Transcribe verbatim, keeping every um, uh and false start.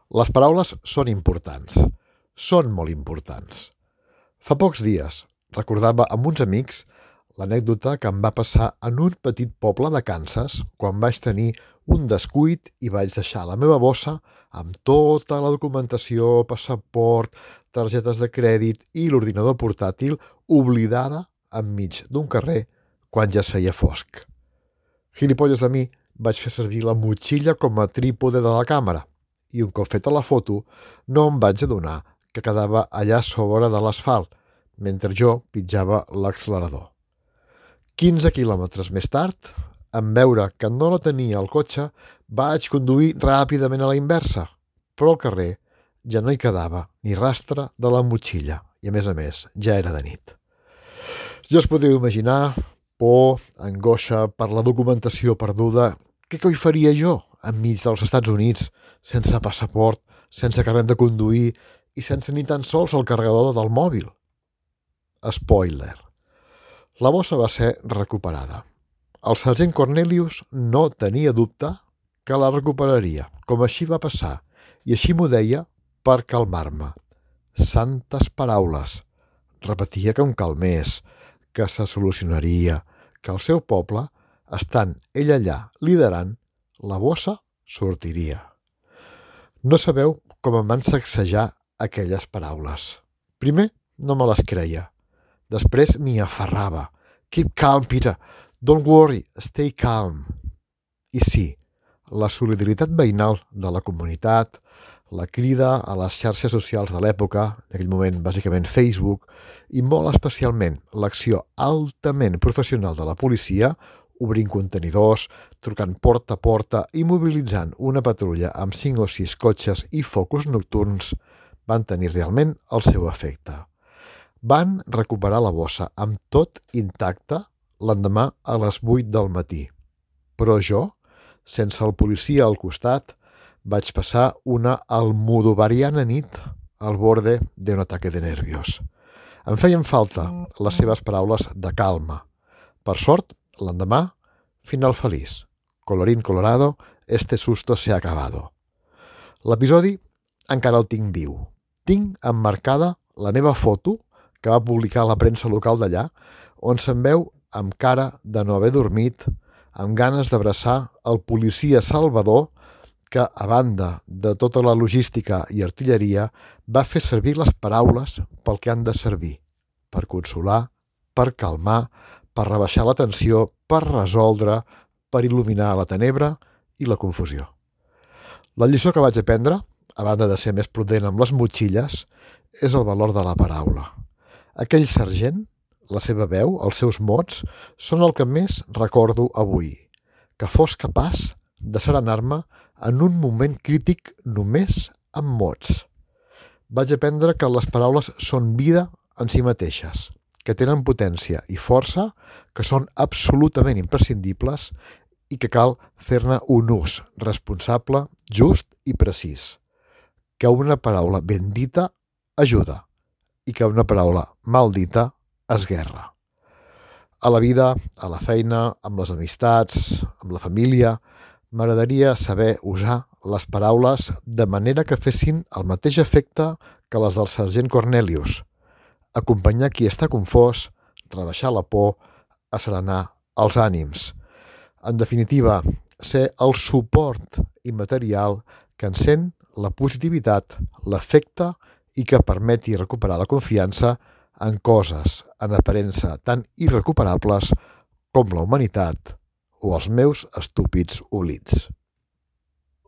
Les paraules són importants. Són molt importants. Fa pocs dies recordava amb uns amics l'anècdota que em va passar en un petit poble de Kansas quan vaig tenir un descuit i vaig deixar la meva bossa amb tota la documentació, passaport, targetes de crèdit i l'ordinador portàtil oblidada enmig d'un carrer quan ja es feia fosc. Gilipolles de mi, vaig fer servir la motxilla com a trípode de la càmera i un cop feta la foto no em vaig adonar que quedava allà sobre de l'asfalt mentre jo pitjava l'accelerador. quinze quilòmetres més tard, en veure que no la tenia al cotxe, vaig conduir ràpidament a la inversa, però al carrer ja no hi quedava ni rastre de la motxilla i, a més a més, ja era de nit. Ja us podeu imaginar por, angoixa per la documentació perduda. Què coi faria jo enmig dels Estats Units, sense passaport, sense carnet de conduir i sense ni tan sols el carregador del mòbil? Spoiler. La bossa va ser recuperada. El sergent Cornelius no tenia dubte que la recuperaria, com així va passar, i així m'ho deia per calmar-me. Santes paraules. Repetia que em calmés, que se solucionaria, que el seu poble, estant ell allà liderant, la bossa sortiria. No sabeu com em van sacsejar aquelles paraules. Primer no me les creia. Després m'hi aferrava. Keep calm, Peter. Don't worry. Stay calm. I sí, la solidaritat veïnal de la comunitat, la crida a les xarxes socials de l'època, en aquell moment bàsicament Facebook, i molt especialment l'acció altament professional de la policia, obrint contenidors, trucant porta a porta i mobilitzant una patrulla amb cinc o sis cotxes i focus nocturns, van tenir realment el seu efecte. Van recuperar la bossa amb tot intacte l'endemà a les vuit del matí. Però jo, sense el policia al costat, vaig passar una almodovariana nit al borde d'un ataque de nervios. Em feien falta les seves paraules de calma. Per sort, l'endemà, final feliç. Colorín colorado, este susto se ha acabado. L'episodi encara el tinc viu. Tinc emmarcada la meva foto que va publicar la premsa local d'allà, on se'n veu amb cara de no haver dormit, amb ganes d'abraçar el policia Salvador que, a banda de tota la logística i artilleria, va fer servir les paraules pel que han de servir, per consolar, per calmar, per rebaixar la tensió, per resoldre, per il·luminar la tenebra i la confusió. La lliçó que vaig aprendre, a banda de ser més prudent amb les motxilles, és el valor de la paraula. Aquell sergent, la seva veu, els seus mots, són el que més recordo avui, que fos capaç de serenar-me en un moment crític només amb mots. Vaig aprendre que les paraules són vida en si mateixes, que tenen potència i força, que són absolutament imprescindibles i que cal fer-ne un ús responsable, just i precís. Que una paraula ben dita ajuda i que una paraula mal dita esguerra. A la vida, a la feina, amb les amistats, amb la família, m'agradaria saber usar les paraules de manera que fessin el mateix efecte que les del sergent Cornelius. Acompanyar qui està confós, rebaixar la por, asserenar els ànims. En definitiva, ser el suport immaterial que encén la positivitat, l'afecte i que permeti recuperar la confiança en coses en aparença tan irrecuperables com la humanitat o els meus estúpids oblits.